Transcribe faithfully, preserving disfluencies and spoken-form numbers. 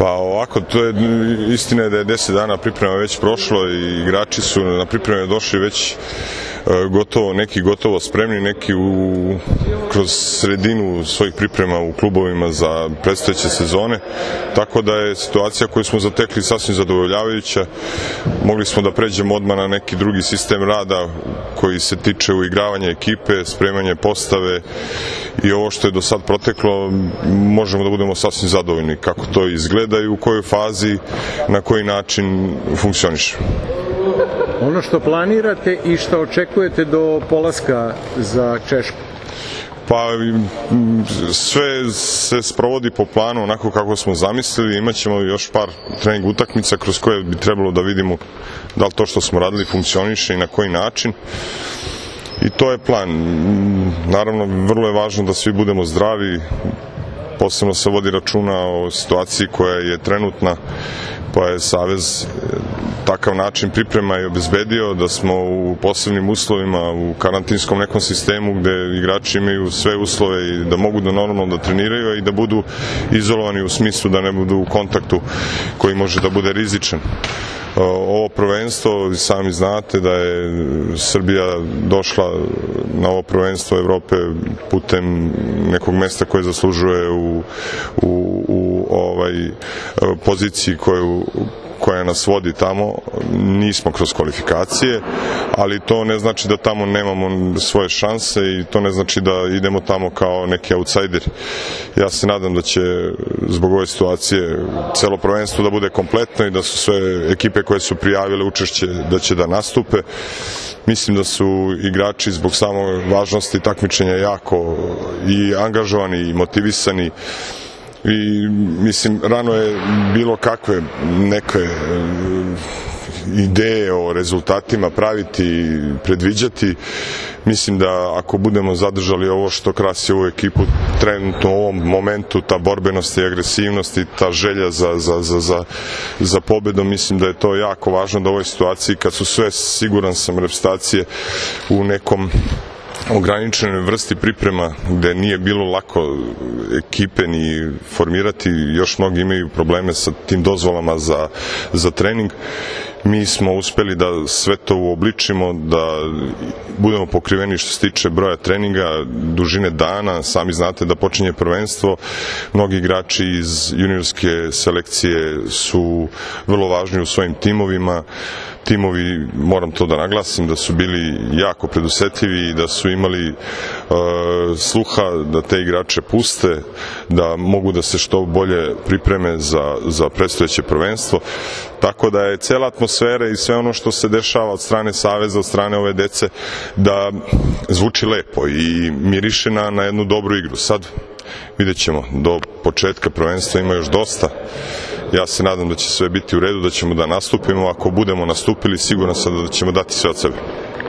Pa ovako, to je istina da je deset dana priprema već prošlo i igrači su na pripreme došli već gotovo, neki gotovo spremni, neki u, kroz sredinu svojih priprema u klubovima za predstojeće sezone, tako da je situacija koju smo zatekli sasvim zadovoljavajuća. Mogli smo da pređemo odmah na neki drugi sistem rada koji se tiče uigravanja ekipe, spremanje postave i ovo što je do sad proteklo, možemo da budemo sasvim zadovoljni kako to izgleda i u kojoj fazi, na koji način funkcioniše. Ono što planirate i što očekujete do polaska za Češku? Pa sve se sprovodi po planu onako kako smo zamislili. Imaćemo još par trening utakmica kroz koje bi trebalo da vidimo da li to što smo radili funkcioniše i na koji način. I to je plan. Naravno, vrlo je važno da svi budemo zdravi, posebno se vodi računa o situaciji koja je trenutna, pa je Savez takav način priprema i obezbedio da smo u posebnim uslovima, u karantinskom nekom sistemu gde igrači imaju sve uslove i da mogu da normalno da treniraju i da budu izolovani u smislu da ne budu u kontaktu koji može da bude rizičan. Ovo prvenstvo, sami znate da je Srbija došla na ovo prvenstvo Evrope putem nekog mesta koje zaslužuje u, u, u ovaj poziciji koju koja nas vodi tamo. Nismo kroz kvalifikacije, ali to ne znači da tamo nemamo svoje šanse i to ne znači da idemo tamo kao neki outsider. Ja se nadam da će zbog ove situacije celo prvenstvo da bude kompletno i da su sve ekipe koje su prijavile učešće da će da nastupe. Mislim da su igrači zbog samo važnosti takmičenja jako i angažovani i motivisani. I mislim, rano je bilo kakve neke ideje o rezultatima praviti, predviđati. Mislim da ako budemo zadržali ovo što krasi ovu ekipu trenutno u ovom momentu, ta borbenost i agresivnost i ta želja za, za, za, za, za pobedom, mislim da je to jako važno da u ovoj situaciji kad su sve, siguran sam, reprezentacije u nekom ograničenoj vrsti priprema gde nije bilo lako ekipe ni formirati, još mnogi imaju probleme sa tim dozvolama za, za trening. Mi smo uspeli da sve to uobličimo, da budemo pokriveni što se tiče broja treninga, dužine dana. Sami znate da počinje prvenstvo. Mnogi igrači iz juniorske selekcije su vrlo važni u svojim timovima. Timovi, moram to da naglasim, da su bili jako predusetljivi i da su imali uh, sluha da te igrače puste, da mogu da se što bolje pripreme za, za predstojeće prvenstvo. Tako da je cela atmosfera i sve ono što se dešava od strane Saveza, od strane ove dece, da zvuči lepo i miriše na, na jednu dobru igru. Sad vidjet ćemo, do početka prvenstva ima još dosta. Ja se nadam da će sve biti u redu, da ćemo da nastupimo. Ako budemo nastupili, siguran sam da ćemo dati sve od sebe.